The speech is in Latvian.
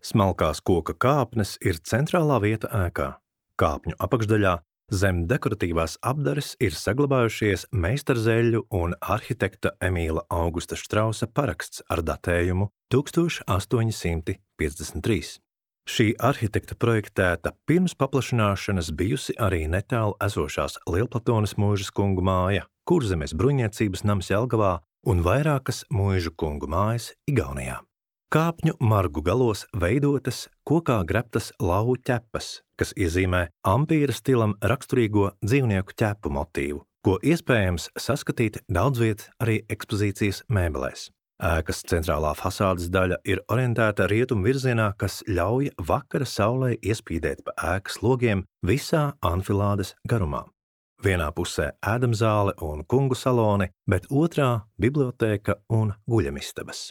Smalkās koka kāpnes ir centrālā vieta ēkā. Kāpņu apakšdaļā zem dekoratīvās apdares ir saglabājušies meistarzeļļu un arhitekta Emīla Augusta Štrausa paraksts ar datējumu 1853. Šī arhitekta projektēta pirms paplašināšanas bijusi arī netālu esošās Lielplatones mūžas kungu māja, Kurzemes bruņniecības nams Jelgavā un vairākas mūžu kungu mājas Igaunijā. Kāpņu margu galos veidotas kokā greptas lauvu ķepas, kas iezīmē ampīra stilam raksturīgo dzīvnieku ķepu motīvu, ko iespējams saskatīt daudzviet arī ekspozīcijas mēbelēs. Ēkas centrālā fasādes daļa ir orientēta rietumu virzienā, kas ļauj vakara saulei iespīdēt pa ēkas logiem visā anfilādes garumā. Vienā pusē ēdamzāle un kungu saloni, bet otrā bibliotēka un guļamistabas.